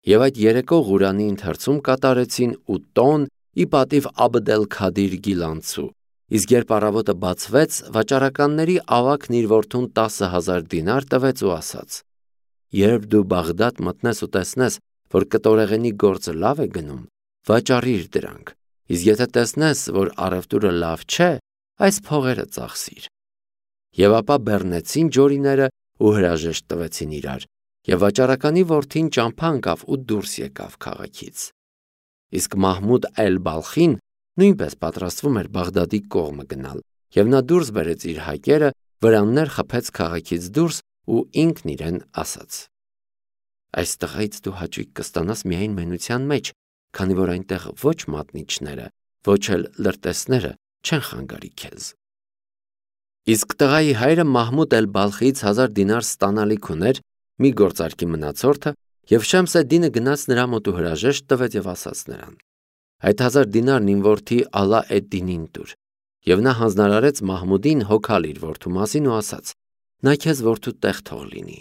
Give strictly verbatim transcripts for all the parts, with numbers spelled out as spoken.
Եվ այդ երեկո Ղուրանի ընթերցում կատարեցին ու տոն ի պատիվ Աբդ էլ-Քադիր Գիլանցու, իսկ երբ առավոտը բացվեց, վաճառականների ավագն իր որդուն տասը հազար դինար տվեց ու ասաց. «Երբ դու Բաղդադ մտնես ու տեսնես, որ կտորեղենի գործը լավ է գնում, վաճառիր դրանք, իսկ եթե տեսնես, որ առևտուրը լավ չէ, այս փողերը ծախսիր»։ Եվ ապա բեռնեցին ջորիները ու հրաժեշտ տվեցին իրար, եւ վաճառականի որդին ճամփա ընկավ ու դուրս եկավ քաղաքից։ Իսկ Մահմուդ էլ-Բալխին նույնպես պատրաստվում էր Բաղդադի կողմը գնալ, եւ նա դուրս բերեց իր հակերը, վրաններ խփեց քաղաքից դուրս ու ինքն իրեն ասաց. «Այս տղայից դու հաճույք կստանաս միայն մենության մեջ, քանի որ այնտեղ ոչ մատնիչները, ոչ էլ լրտեսները չեն խանգարի քեզ»։ Իսկ տղայի հայրը Մահմուդ էլ-Բալխիից հազար դինար ստանալիք ուներ, մի գործարքի մնացորդը, եւ Շեմս ed-Դինը գնաց նրա մոտ ու հրաժեշտ տվեց եւ ասաց նրան. «Այդ հազար դինարն իմ որդի Ալա ed-Դինին տուր»։ Եվ նա հանձնարարեց Մահմուդին հոգալ իր որդու մասին ու ասաց. «Նա քեզ որդու տեղ թող լինի»։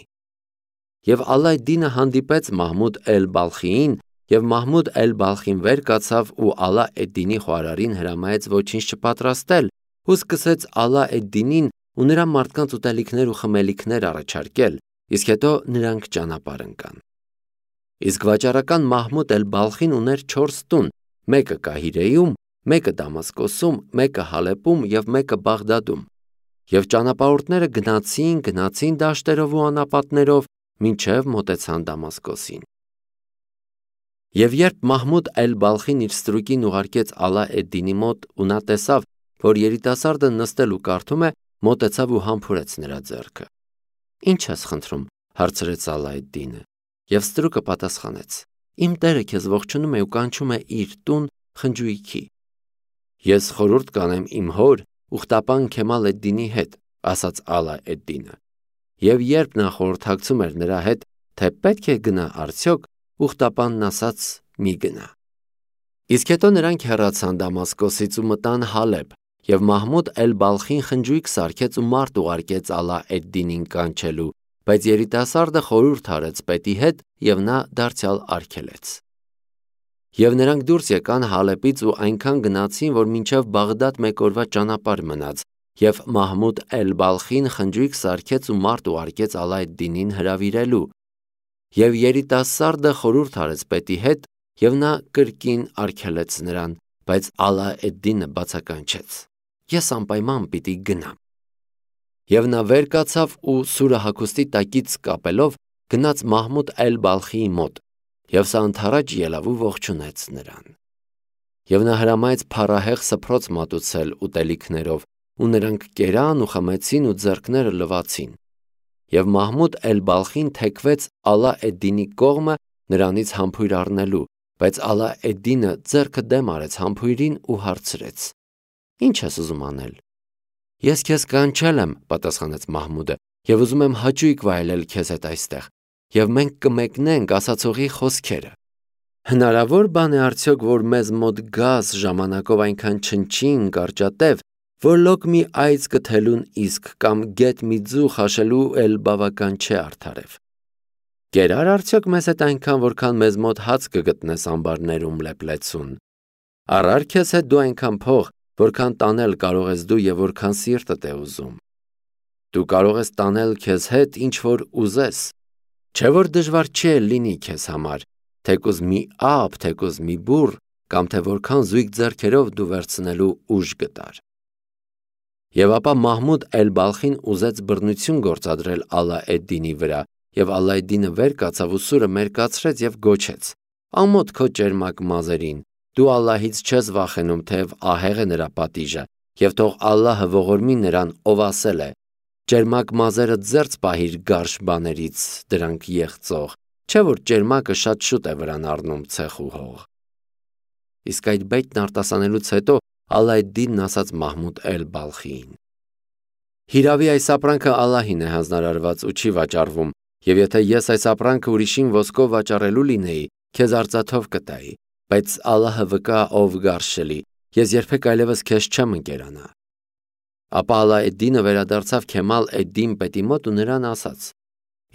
Եվ Ալա ed-Դինը հանդիպեց Մահմուդ էլ-Բալխիին, եւ Մահմուդ էլ-Բալխին վեր կացավ ու Ալա ed-Դինի խոհարարին հրամայեց ոչինչ չպատրաստել ու սկսեց Ալա ed-Դինին ու նրա մարդկանց ուտելիքներ ու խմելիքներ առաջարկել, իսկ հետո նրանք ճանապարհ ընկան։ Իսկ վաճառական Մահմուդ էլ-Բալխին ուներ չորս տուն, մեկը Կահիրեում, մեկը Դամասկոսում, մեկը Հալեպում եւ մեկը Բաղդադում։ Եվ ճանապարհորդները գնացին, գնացին դաշտերով ու անապատներով, մինչև մոտեցան Դամասկոսին։ Եվ երբ Մահմուդ էլ-Բալխին իր ստրուկին ուղարկեց Ալա ed-Դինի մոտ ու նա տեսավ, որ երիտասարդը նստել ու կարդում է, մոտեցավ ու համբուրեց նրա ձեռքը։ «Ինչ ես խնդրում»։ հարցրեց Ալա ed-Դինը։ Եվ ստրուկը պատասխանեց. «Իմ տերը քեզ ողջունում է ու կանչում է իր տուն խնջույքի»։ «Ես խորհուրդ կանեմ իմ հոր ուխտապան Քեմալ ed-Դինի հետ», ասաց Ալա ed-Դինը։ Եվ երբ նա խորհրդակցում էր նրա հետ, թե պետք է գնա արդյոք, ուխտապանն ասաց. «Մի գնա»։ Իսկ հետո նրանք հեռացան Դամասկոսից ու մտան Հալեբ, եւ Մահմուդ էլ-Բալխին խնջույք սարքեց ու մարդ ուղարկեց Ալա ed-Դինին կանչելու, բայց երիտասարդը խորհուրդ արեց պետի հետ եւ նա դարձյալ արգելեց։ Եվ նրանք դուրս եկան Հալեպից ու այնքան գնացին, որ մինչև Բաղդադ մեկ օրվա ճանապարհ մնաց, եւ Մահմուդ էլ-Բալխին խնջույք սարքեց ու մարդ ուղարկեց Ալա ed-Դինին հրավիրելու։ Եվ երիտասարդը խորհուրդ արեց պետի հետ, եւ նա կրկին արգելեց նրան, բայց Ալա ed-Դինը բացականչեց. «Ես անպայման պիտի գնամ»։ Եվ նա վեր կացավ ու սուրը հագուստի տակից կապելով գնաց Մահմուդ էլ-Բալխիի մոտ, եւ սա ընդառաջ ելավ ու ողջունեց նրան։ Եվ նա հրամայեց փառահեղ սփռոց մատուցել ուտելիքներով, ու նրանք կերան ու խմեցին ու ձեռքները լվացին։ Եվ Մահմուդ էլ-Բալխին թեքվեց Ալա ed-Դինի կողմը նրանից համբույր առնելու, բայց Ալա ed-Դինը ձեռքը դեմ արեց համբույրին ու հարցրեց. «Ինչ ես ուզում անել»։ «Ես քեզ կանչել եմ», պատասխանեց Մահմուդը, «եւ ուզում եմ հաճույք վայելել քեզ հետ այստեղ, եւ մենք կմեկնենք ասացողի խոսքերը»։ «Հնարավոր բան է արդյոք, որ մեզ մոտ գաս ժամանակով այնքան չնչին, կարճատև, որ լոկ մի այծ կթելուն իսկ կամ գետ մի ձու խաշելու էլ բավական չէ արդարև։ Կերա՞ր արդյոք մեզ հետ այնքան, որքան մեզ մոտ հաց կգտնես ամբարներում լեփլեցուն։ Առա՞ր քեզ հետ դու այնքան փող, որքան տանել կարող ես դու եւ որքան սիրտդ է ուզում։ Դու կարող ես տանել քեզ հետ ինչ որ ուզես, չէ՞ որ դժվար չէ լինի քեզ համար, թեկուզ մի ափ, թեկուզ մի բուռ, կամ թե որքան զույգ ձեռքերով դու վերցնելու ուժ գտար»։ Եվ ապա Մահմուդ էլ-Բալխին ուզեց բռնություն գործադրել Ալա ed-Դինի վրա, եւ Ալա ed-Դինը վեր կացավ ու սուրը մերկացրեց եւ գոչեց. «Ամոթ քո ճերմակ մազերին, դու Ալլահից չես վախենում, թեև ահեղ է նրա պատիժը, եւ թող Ալլահը ողորմի նրան, ով ասել է. «Ճերմակ մազերը ձերծ պահիր գարշ բաներից, դրանք եղծող, չէ՞ որ ճերմակը շատ շուտ է վրան առնում ցեխ ու հող»։ Իսկ այդ բեյտն արտասանելուց հետո Ալա ed-Դինն ասաց Մահմուդ էլ-Բալխիին. «Հիրավի այս ապրանքը Ալլահին է հանձնարարված ու չի վաճառվում, եւ եթե ես այս ապրանքը ուրիշին ոսկով վաճառելու լինեի, քեզ արծաթով կտայի, բայց Ալլահը վկա, ով գարշելի, ես երբեք այլևս քեզ չեմ ընկերանա»։ Ապա Ալա ed-Դինը վերադարձավ Քեմալ ed-Դին պետի մոտ ու նրան ասաց.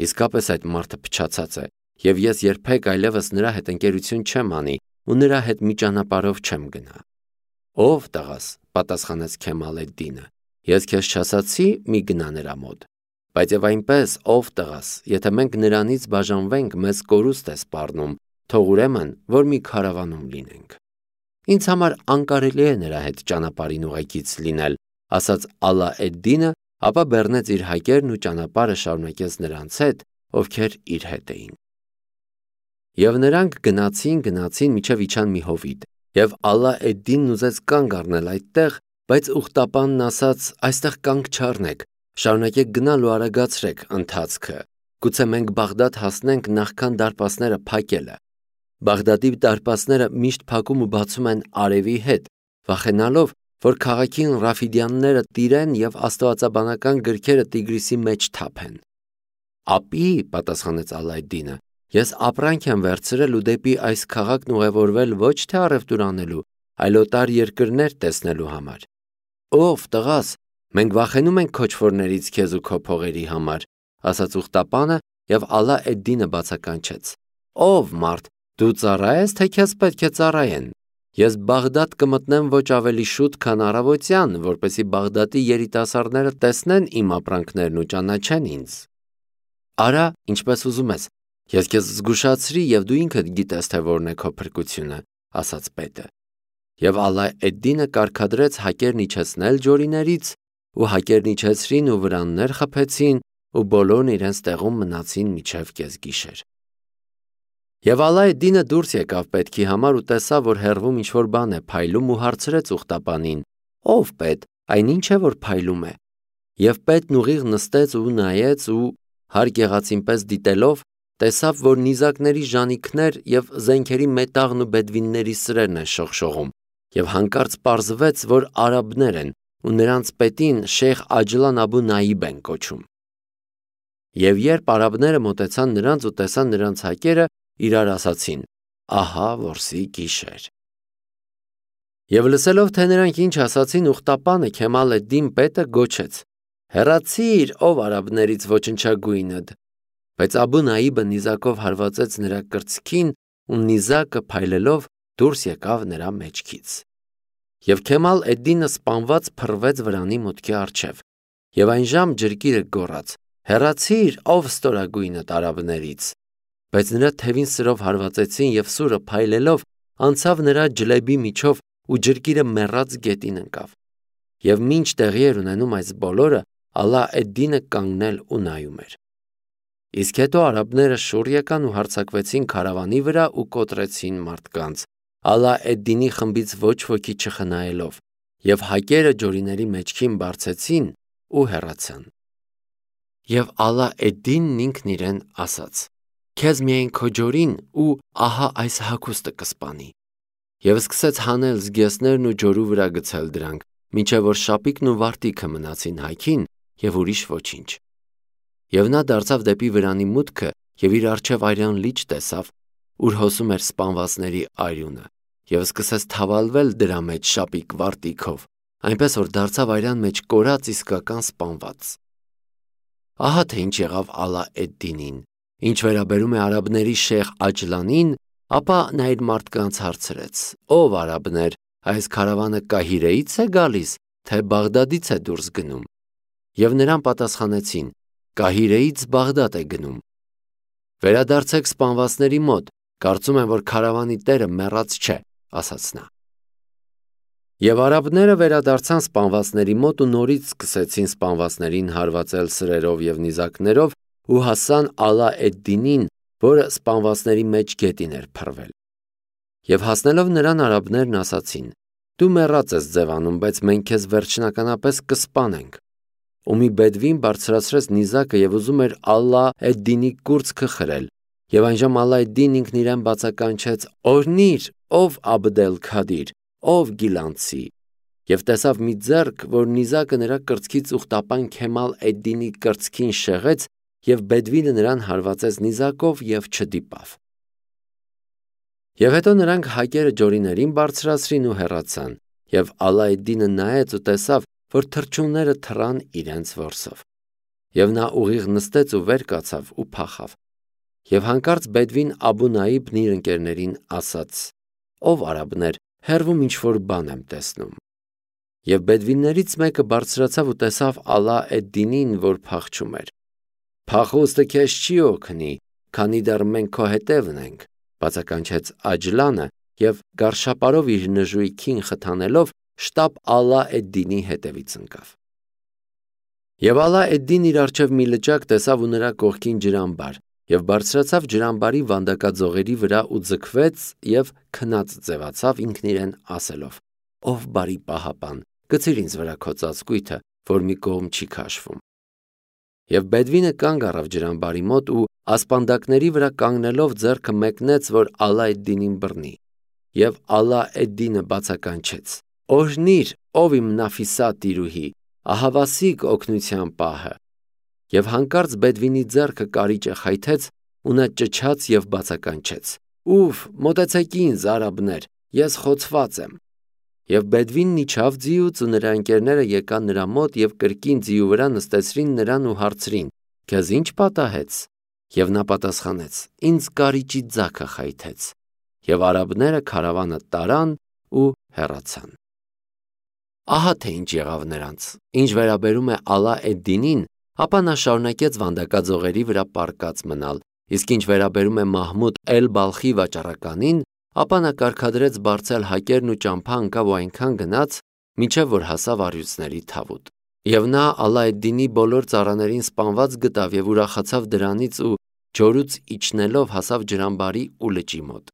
«Իսկապես այդ մարդը փչացած է, Եվ ես երբեք այլևս նրա հետ ընկերություն չեմ անի ու նրա հետ մի ճանապարհով չեմ գնա։ Ով տղաս, պատասխանեց Քեմալ էդ-Դինը, ես քեզ չասացի մի գնա նրա մոտ, բայց եւ այնպես, ով տղաս, եթե մենք նրանից բաժանվենք, մեզ կորուստ է սպառնում, թող ուրեմն, որ մի քարավանում լինենք։ Ինձ համար անկարելի է նրա հետ ճանապարհին ուղեկից լինել, ասաց Ալա էդ-Դինը, ապա բեռնեց իր հակերն ու ճանապարհը շարունակեց նրանց հետ, ովքեր իր հետ էին։ Եվ նրանք գնացին, գնացին մինչև իջան մի հովիտ, եւ Ալա էդ-Դինն ուզեց կանգ առնել այդտեղ, բայց ուխտապանն ասաց. այստեղ կանգ չառնեք, շարունակեք գնալ ու արագացրեք ընթացքը, գուցե մենք Բաղդադ հասնենք նախքան դարպասները փակելը։ Բաղդադի դարպասները միշտ փակում ու բացում են արևի հետ, վախենալով, որ քաղաքին ռաֆիդյանները տիրեն եւ աստվածաբանական գրքերը Տիգրիսի մեջ թափեն։ Ապի, պատասխանեց Ալա էդ-Դինը, ես ապրանք եմ վերցրել ու դեպի այս քաղաքն ուղևորվել ոչ թե առևտուր անելու, այլ օտար երկրներ տեսնելու համար։ Ով տղաս, մենք վախենում ենք քոչվորներից քեզ ու քո փողերի համար, ասաց ուխտապանը եւ Ալա էդ-Դինը բացականչեց։ Ով մարդ, դու ծառա ես, թե քեզ պետք է ծառայեն։ Ես Բաղդադ կմտնեմ ոչ ավելի շուտ, քան առավոտյան, որպեսզի Բաղդադի երիտասարդները տեսնեն իմ ապրանքներն ու ճանաչեն ինձ։ Արա, ինչպես ուզում ես, ես քեզ զգուշացրի եւ դու ինքդ գիտես, թե որն է քո փրկությունը, ասաց պետը։ Եվ Ալա էդ-Դինը կարգադրեց հակերն իջեցնել ջորիներից, ու հակերն իջեցրին ու վրաններ խփեցին, ու բոլորն իրենց տեղում մնացին մինչև կեսգիշեր։ Եվ Ալա էդ-Դինը դուրս եկավ պետքի համար ու տեսավ, որ հեռվում ինչ-որ բան է փայլում ու հարցրեց ուխտապանին. Ով պետ, այն ինչ է, որ փայլում է։ Եվ պետն ուղիղ նստեց ու նայեց ու հարկ եղածին պես դիտելով, տեսավ, որ նիզակների ժանիքներ եւ զենքերի մետաղն ու բեդվինների սրերն են շողշողում, եւ հանկարծ պարզվեց, որ արաբներ են ու նրանց պետին Շեյխ Աջլան Աբու Նաիբ են կոչում։ Եվ երբ արաբները մոտեցան նրանց ու տեսան նրանց հակերը, իրար ասացին. ահա որսի գիշեր։ Եվ լսելով, թե նրանք ինչ ասացին, ուխտապանը Քեմալ էդ-Դին պետը գոչեց. հեռացիր, ով արաբներից ոչնչագույնդ։ Բայց Աբու Նաիբը նիզակով հարվածեց նրա կրծքին ու նիզակը փայլելով դուրս եկավ նրա մեջքից։ Եվ Քեմալ էդ-Դինը սպանված փռվեց վրանի մուտքի առջև։ Եվ այն ժամ ջրկիրը գոռաց. հեռացիր, ով ստորագույնդ արաբներից։ Բայց նրա թևին սրով հարվածեցին եւ սուրը փայլելով անցավ նրա ջլեբի միջով ու ջրկիրը մեռած գետին ընկավ։ Եվ մինչ տեղի էր ունենում այս բոլորը, Ալա էդ-Դինը կանգնել ու նայում էր։ Իսկ հետո արաբները շուռ եկան ու հարձակվեցին քարավանի վրա ու կոտրեցին մարդկանց, Ալա էդ-Դինի խմբից ոչ ոքի չխնայելով, եւ հակերը ջորիների մեջքին բարձեցին ու հեռացան։ Եվ Ալա էդ-Դինն ինքն իրեն ասաց. Քեզ միայն քո ջորին ու ահա այս հագուստը կսպանի։ Եվ սկսեց հանել զգեստներն ու ջորու վրա գցել դրանք, մինչև որ շապիկն ու վարտիքը մնացին հայքին եւ ուրիշ ոչինչ։ Եվ նա դարձավ դեպի վրանի մուտքը եւ իր առջև արյան լիճ տեսավ, ուր հոսում էր սպանվածների արյունը, եւ սկսեց թավալվել դրա մեջ շապիկ վարտիքով, այնպես որ դարձավ արյան մեջ կորած իսկական սպանված։ Ահա թե ինչ եղավ Ալա էդ-Դինին։ Ինչ վերաբերում է արաբների Շեյխ Աջլանին, ապա նա իր մարդկանց հարցրեց. ով արաբներ, այս քարավանը Կահիրեից է գալիս, թե Բաղդադից է դուրս գնում։ Եվ նրան պատասխանեցին. Կահիրեից Բաղդադ է գնում։ Վերադարձեք սպանվածների մոտ, կարծում եմ, որ քարավանի տերը մեռած չէ, ասաց նա։ Եվ արաբները վերադարձան սպանվածների մոտ ու նորից սկսեցին սպանվածներին հարվածել սրերով եւ նիզակներով ու հասան Ալա էդ-Դինին, որը սպանվածների մեջ գետին էր փռվել։ Եվ հասնելով նրան արաբներն ասացին. դու մեռած ես ձևանում, բայց մենք քեզ վերջնականապես կսպանենք։ Ու մի բեդվին բարձրացրեց նիզակը եւ ուզում էր Ալա էդ-Դինի կուրծքը խրել, եւ այնժամ Ալա էդ-Դինն ինքն իրեն բացականչեց. օրհնիր, ով Աբդ-ել-Քադիր, ով Գիլանցի, եւ տեսավ մի ձեռք, որ նիզակը նրա կրծքից ուխտապան Քեմալ էդ-Դինի կրծքին շեղեց, եւ բեդվինը նրան հարվածեց նիզակով եւ չդիպավ։ Եվ հետո նրանք հակերը ջորիներին բարձրացրին ու հեռացան, եւ Ալա էդ-Դինը նայեց ու տեսավ, որ թռչունները թռան իրենց որսով։ Եվ նա ուղիղ նստեց ու վեր կացավ ու փախավ։ Եվ հանկարծ Բեդվին Աբու Նաիբն իր ընկերներին ասաց. «Ով արաբներ, հեռվում ինչ-որ բան եմ տեսնում»։ Եվ բեդվիններից մեկը բարձրացավ ու տեսավ Ալա էդ-Դինին, որ փախչում էր։ «Փախուստը քեզ չի օգնի, քանի դեռ մենք քո հետևն ենք», բացականչեց Աջլանը և գարշապարով իր նժույգին խթանելով շտապ Ալա էդ-Դինի հետևից ընկավ։ Եվ Ալա էդ-Դինն իր առջև մի լճակ տեսավ ու նրա կողքին ջրամբար, և բարձրացավ ջրամբարի վանդակաձողերի վրա ու ձգվեց և քնած ձևացավ ինքն իրեն ասելով. «Ով բարի պահապան, գցիր ինձ վրա քո ծածկույթը, որ մի կողմ չի քաշվում»։ Եվ Բեդվինը կանգ առավ ջրամբարի մոտ ու ասպանդակների վրա կանգնելով ձեռքը մեկնեց, որ Ալա էդ-Դինին բռնի։ Եվ Ալա էդ-Դինը բացականչեց. «Օրհնի՛ր, ով իմ Նաֆիսա տիրուհի, ահավասիկ օգնության պահը»։ Եվ հանկարծ Բեդվինի ձեռքը կարիճը խայթեց ու նա ճչաց և բացականչեց. «Ուֆ, մոտեցեք ինձ, արաբներ, ես խոցված եմ»։ Եվ Բեդվինն իջավ ձիուց ու նրա ընկերները եկան նրա մոտ և կրկին ձիու վրա նստեցրին նրան ու հարցրին. «Քեզ ի՞նչ պատահեց»։ Եվ նա պատասխանեց. «Ինձ կարիճի ձագը խայթեց»։ Եվ արաբները քարավանը տարան ու հեռացան։ Ահա թե ինչ եղավ նրանց։ Ինչ վերաբերում է Ալա էդ-Դինին, ապա նա շարունակեց վանդակաձողերի վրա պառկած մնալ, իսկ ինչ վերաբերում է Մահմուդ էլ-Բալխի վաճառականին, ապա նա կարգադրեց բարձել հակերն ու ճամփա ընկավ ու այնքան գնաց, մինչև որ հասավ առյուծների թավուտ։ Եվ նա Ալա էդ-Դինի բոլոր ծառաներին սպանված գտավ և ուրախացավ դրանից ու ջորուց իջնելով հասավ ջրամբարի ու լճի մոտ։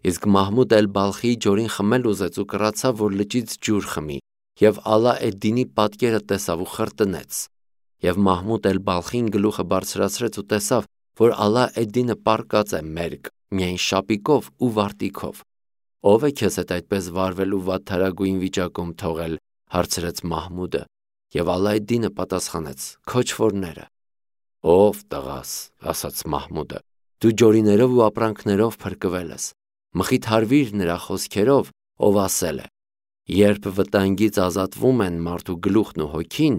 Իսկ Մահմուդ էլ-Բալխիի ջորին խմել ուզեց ու կռացավ, որ լճից ջուր խմի, և Ալա էդ-Դինի պատկերը տեսավ ու խրտնեց։ Եվ Մահմուդ էլ-Բալխին գլուխը բարձրացրեց ու տեսավ, որ Ալա էդ-Դինը պառկած է մերկ, միայն շապիկով ու վարտիքով։ «Ո՞վ է քեզ հետ այդպես վարվել ու վատթարագույն վիճակում թողել», հարցրեց Մահմուդը։ Եվ Ալա էդ-Դինը պատասխանեց. «Քո չորները»։ «Ով տղաս», ասաց Մահմուդը, «դու ջորիներով ու ապրանքներով փրկվել ես։ Մխիթարվիր նրա խոսքերով, ով ասել է. երբ վտանգից ազատվում են մարդու գլուխն ու հոգին,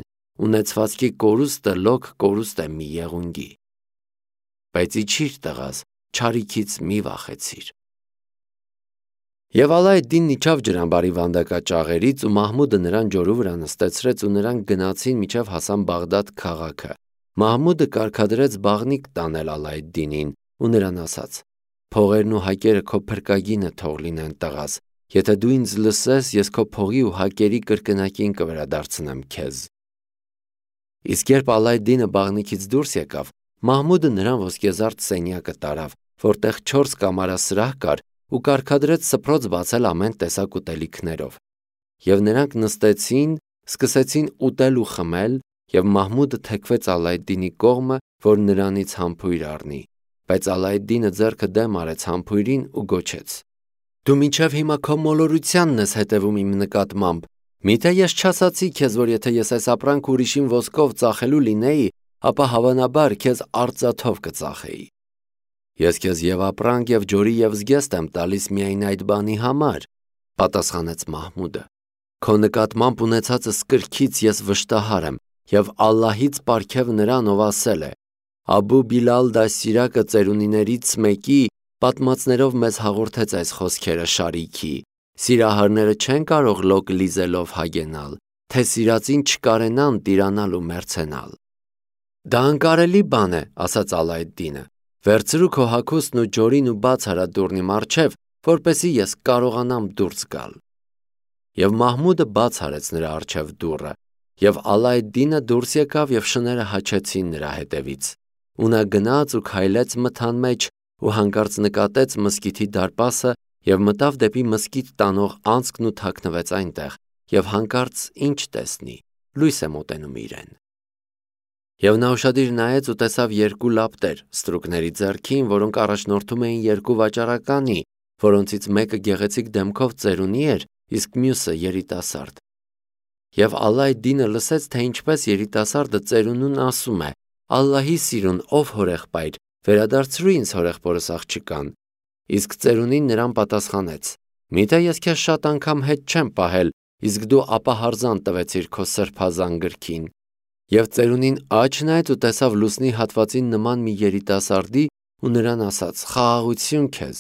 ունեցվածքի կորուստը լոկ կորուստ է մի եղունգի։ Բայց իջիր տղաս, չարիքից մի վախեցիր»։ Եվ Ալա էդ-Դինն իջավ ջրամբարի վանդակաճաղերից ու Մահմուդը նրան ջորու վրա նստեցրեց ու նրանք գնացին մինչև հասան Բաղդադ քաղաքը։ Մահմուդը կարգադրեց բաղնիք տանել Ալա էդ-Դինին ու նրան ասաց. «Փողերն ու հակերը քո փրկագինը թող լինեն տղաս, եթե դու ինձ լսես, ես քո փողի ու հակերի կրկնակին կվերադարձնեմ քեզ»։ Իսկ երբ Ալա էդ-Դինը բաղնիքից դուրս եկավ, Մահմուդը նրան ոսկեզարդ սենյակը տարավ, որտեղ չորս կամարասրահ կար ու կարգադրեց սփռոց բացել ամեն տեսակ ուտելիքներով։ Եվ նրանք նստեցին, սկսեցին ուտել ու խմել, և Մահմուդը թեքվեց Ալա էդ-Դինի կողմը, որ նրանից համբույր առնի։ Բայց Ալա էդ-Դինը ձեռքը դեմ արեց համբույրին ու գոչեց. «Դու մինչև հիմա քո մոլորությանն ես հետևում իմ նկատմամբ։ Միթե ես չասացի քեզ, որ եթե ես այս ապրանքը ուրիշին ոսկով ծախելու լինեի, ապա հավանաբար քեզ արծաթով կծախեի։ Ես քեզ և ապրանք, և ջորի, և զգեստ եմ տալիս միայն այդ բանի համար», պատասխանեց Մահմուդը։ «Քո նկատմամբ ունեցածս կրքից ես վշտահար եմ, և Ալլահից պարգև նրան, ով ասել է. Աբու Բիլալ դաստիարակը ծերունիներից մեկի պատմածներով մեզ հաղորդեց այս խոսքերը շարիքի. «Սիրահարները չեն կարող լոկ լիզելով հագենալ, թե սիրածին չկարենան տիրանալ ու մեռցենալ»։ «Դա անկարելի բան է», ասաց Ալա էդ-Դինը։ «Վերցրու քո հագուստն ու ջորին ու բաց արա դուռն իմ առջև, որպեսզի ես կարողանամ դուրս գալ»։ Եվ Մահմուդը բաց արեց նրա առջև դուռը, և Ալա էդ-Դինը դուրս եկավ և շները հաչեցին նրա հետևից։ Ու նա գնաց ու քայլեց մթան մեջ ու հանկարծ նկատեց մզկիթի դարպասը և մտավ դեպի մզկիթ տանող անցքն ու թաքնվեց այնտեղ, և հանկարծ ի՞նչ տեսնի. լույս է մոտենում իրեն։ Եվ նա ուշադիր նայեց ու տեսավ երկու լապտեր ստրուկների ձեռքին, որոնք առաջնորդում էին երկու վաճառականի, որոնցից մեկը գեղեցիկ դեմքով ծերունի էր, իսկ մյուսը երիտասարդ։ Եվ Ալա էդ-Դինը լսեց, թե ինչպես երիտասարդը ծերունուն ասում է. «Ալլահի սիրուն, ով հորեղբայր, վերադարձրու ինձ հորեղբորս աղջկան»։ Իսկ ծերունին նրան պատասխանեց. «Միթե ես քեզ շատ անգամ հետ չեմ պահել, իսկ դու ապահարզան տվեցիր քո սրբազան գրքին»։ Եվ ծերունին աջ նայեց ու տեսավ լուսնի հատվածին նման մի երիտասարդի, ու նրան ասաց. «Խաղաղություն քեզ»։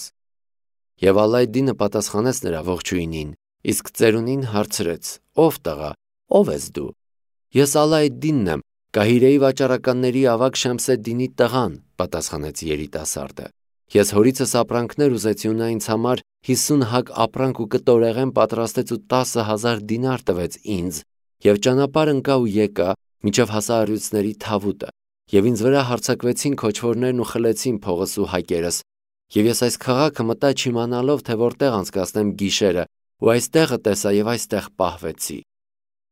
Եվ Ալայդինը պատասխանեց նրա ողջույնին, իսկ ծերունին հարցրեց. «Ով տղա, ով ես դու»։ «Ես Ալայդինն եմ, Կահիրեի վաճառականների ավագ Շեմսեդդինի տղան», պատասխանեց երիտասարդը։ «Ես հորիցս ապրանքներ ուզեցի ու նա ինձ համար հիսուն հագ ապրանք ու կտորեղեն պատրաստեց ու տասը հազար դինար տվեց ինձ, և ճանապարհ ընկա ու եկա, մինչև հասա առյուծների թավուտը, և ինձ վրա հարձակվեցին քոչվորներն ու խլեցին փողս ու հակերս, և ես այս քաղաքը մտա չիմանալով, թե որտեղ անցկացնեմ գիշերը, ու այս տեղը տեսա և այստեղ պահվեցի»։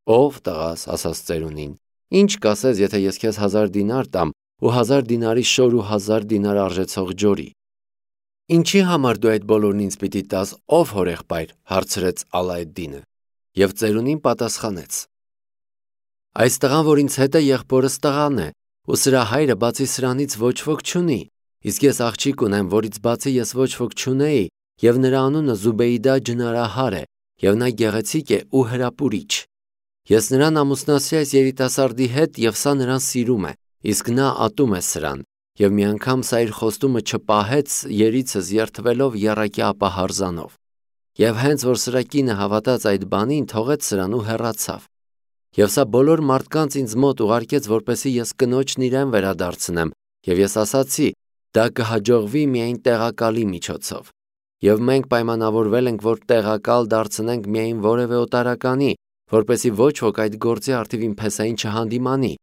«Ով տղաս», ասաց ծերունին, «ինչ կասես, եթե ես քեզ հազար դինար տամ ու հազար դինարի շոր ու հազար դինար արժեցող ջորի»։ «Ինչի համար դու այդ բոլորն ինձ պիտի տաս, ով հորեղբայր», հարցրեց Ալայդդինը։ Եվ ծերունին պատասխանեց. «Այս տղան, որ ինձ հետ է, եղբորս տղան է, ու սրա հայրը բացի սրանից ոչ ոք չունի, իսկ ես աղջիկ ունեմ, որից բացի ես ոչ ոք չունեի, և նրա անունը Զուբեյդա ջնարահար է, և նա գեղեցիկ է ու հրապուրիչ։ Ես նրան ամուսնացրի այս երիտասարդի հետ, և սա նրան սիրում է, իսկ նա ատում է սրան, և մի անգամ սա իր խոստումը չպահեց, երիցս երդվելով եռակյա ապահարզանով։ Եվ հենց որ սրա կինը հավատաց այդ բանին, թողեց սրան ու հեռացավ։ Եվ սա բոլոր մարդկանց ինձ մոտ ուղարկեց, որպեսզի ես կնոջն իրեն վերադարձնեմ, և ես ասացի. դա կհաջողվի միայն տեղակալի միջոցով։ Եվ մենք պայմանավորվել ենք, որ տեղակալ դարձնենք միայն որևէ օտարականի, որպեսզի ոչ ոք այդ գործի առթիվ իմ փեսային չհանդիմանի,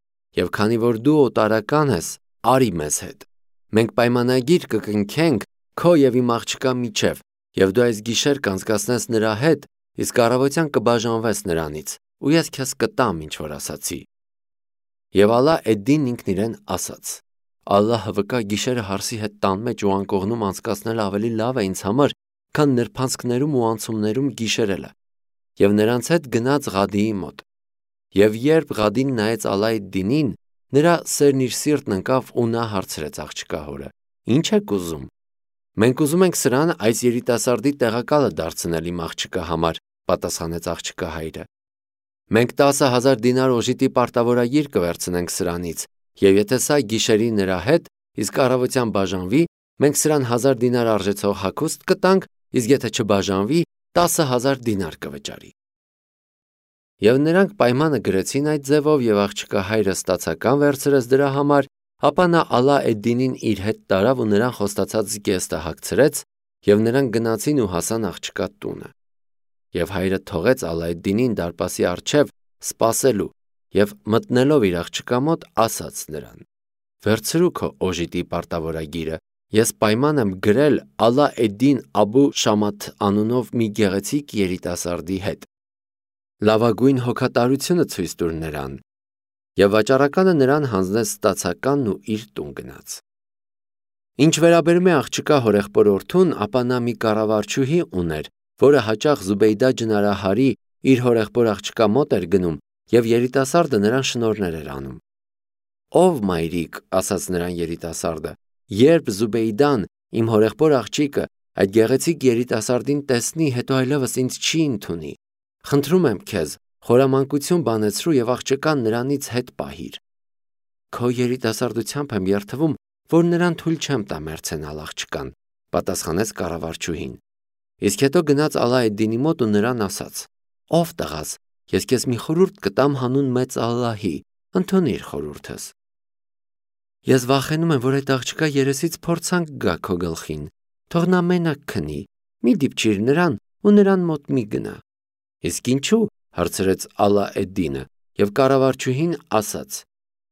և քանի որ դու օտարական ես, արի մեզ հետ։ Մենք պայմանագիր կկնքենք քո և իմ աղջկա միջև, և դու այս գիշեր կանցկացնես նրա հետ, իսկ առավոտյան կբաժանվես նրանից, ու ես քեզ կտամ, ինչ որ ասացի։ Եվ Ալա էդ-Դինն ինքն իրեն ասաց. «Ալլահը վկա, գիշերը հարսի հետ տան մեջ ու անկողնում անցկացնելը ավելի լավ է ինձ համար, քան նրբանցքներում ու անցումներում գիշերելը»։ Եվ նրանց հետ գնաց Ղադիի մոտ։ Եվ երբ Ղադին նայեց Ալայդդինին, նրա սերն իր սիրտն ընկավ, ու նա հարցրեց աղջկա հորը. «Ի՞նչ եք ուզում»։ «Մենք ուզում ենք սրան այս երիտասարդի տեղակալը դարձնել իմ աղջկա համար», պատասխանեց աղջկա հայրը։ «Մենք տասը հազար դինար օժիտի պարտավորագիր կվերցնենք սրանից, և եթե սա գիշերի նրա հետ, իսկ առավոտյան բաժանվի, մենք սրան հազար դինար արժեցող հագուստ կտանք, իսկ եթե չբաժանվի, տասը հազար դինար կվճարի»։ Եվ նրանք պայմանը գրեցին այդ ձևով, և աղջկա հայրը ստացական վերցրեց դրա համար, ապա նա Ալա էդ-Դինին իր հետ տարավ ու նրան խոստացած զգեստը հագցրեց, և նրանք գնացին ու հասան աղջկա տունը։ Եվ հայրը թողեց Ալայդդինին դարպասի առջև սպասելու, և մտնելով իր աղջկա մոտ, ասաց նրան. «Վերցրու քո օժիտի պարտավորագիրը, ես պայման եմ գրել Ալա էդ-Դին Աբու Շամաթ անունով մի գեղեցիկ երիտասարդի հետ։ Լավագույն հոգատարությունը ցույց տուր նրան»։ Եվ վաճառականը նրան հանձնեց ստացականն ու իր տուն գնաց։ Ինչ վերաբերում է աղջկա հորեղբորորդուն, ապա նա մի կառավարչուհի ուներ, որը հաճախ Զուբեյդա ջնարահարի իր հորեղբոր աղջկա մոտ էր գնում, և երիտասարդը նրան շնորհներ էր անում։ «Ով մայրիկ», ասաց նրան երիտասարդը, «երբ Զուբեյդան, իմ հորեղբոր աղջիկը, այդ գեղեցիկ երիտասարդին տեսնի, հետո այլևս ինձ չի ընդունի։ Խնդրում եմ քեզ, խորամանկություն բանեցրու և աղջկան նրանից հետ պահիր»։ «Քո երիտասարդությամբ եմ երդվում, որ նրան թույլ չեմ տա մեռցենալ աղջկան», պատասխանեց կառավարչուհին։ Իսկ հետո գնաց Ալա էդ-Դինի մոտ ու նրան ասաց. «Ով տղաս, ես քեզ մի խորհուրդ կտամ հանուն մեծ Ալլահի, ընդունիր խորհուրդս»։ «Ես վախենում եմ, որ այդ աղջկա երեսից փորձանք գա քո գլխին, թող նա մենակ քնի, մի դիպչիր նրան ու նրան մոտ մի գնա»։ «Իսկ ինչու՞», հարցրեց Ալա էդ-Դինը, և կառավարչուհին ասաց.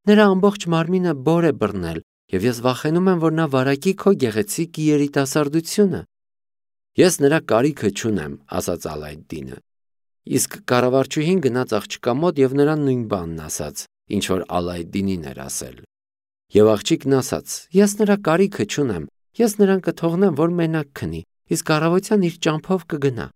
«Նրա ամբողջ մարմինը բոր է բռնել, և ես վախենում եմ, որ նա վարակի քո գեղեցիկ երիտասարդությունը»։ «Ես նրա կարիքը չունեմ», ասաց Ալա էդ-Դինը։ Իսկ կառավարչուհին գնաց աղջկա մոտ և նրան նույն բանն ասաց, ինչ որ Ալա էդ-Դինին էր ասել։ Եվ աղջիկն ասաց. «Ես նրա կարիքը չունեմ, ես նրան կթողնեմ, որ մենակ քնի, իսկ առավոտյան իր ճամփով կգնա»։